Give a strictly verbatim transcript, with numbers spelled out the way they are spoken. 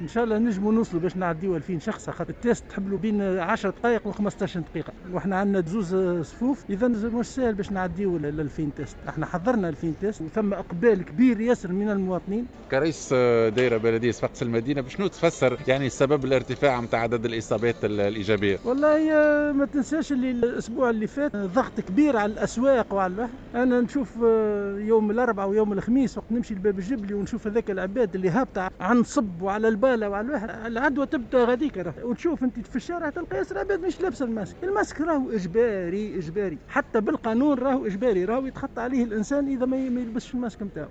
ان شاء الله نجموا نوصلوا باش نعديو ألفين شخص، خاطر ال test تحب له بين عشر دقائق وخمسطاش دقيقه، واحنا عندنا زوز صفوف، اذا مش سهل باش نعديو ال ألفين test. احنا حضرنا ألفين test وثم اقبال كبير ياسر من المواطنين. كرئيس دائرة بلديه صفاقس المدينه، بشنو تفسر يعني سبب الارتفاع نتاع عدد الاصابات الايجابيه؟ والله ما تنساش اللي الاسبوع اللي فات ضغط كبير على الاسواق وعلى الواحد. انا نشوف يوم الاربعاء ويوم الخميس وقت نمشي لباب الجبلي ونشوف هذاك العباد اللي هابطة عن صب وعلى الباله وعلى الواحد، العدوى تبدا غاديك. وتشوف انت في الشارع تلقى ياسر عباد مش لابسه ال masque. ال masque راهو اجباري، اجباري حتى بالقانون، راهو اجباري، راهو يتخطى عليه الانسان اذا ما يلبسش الماسك نتاعو.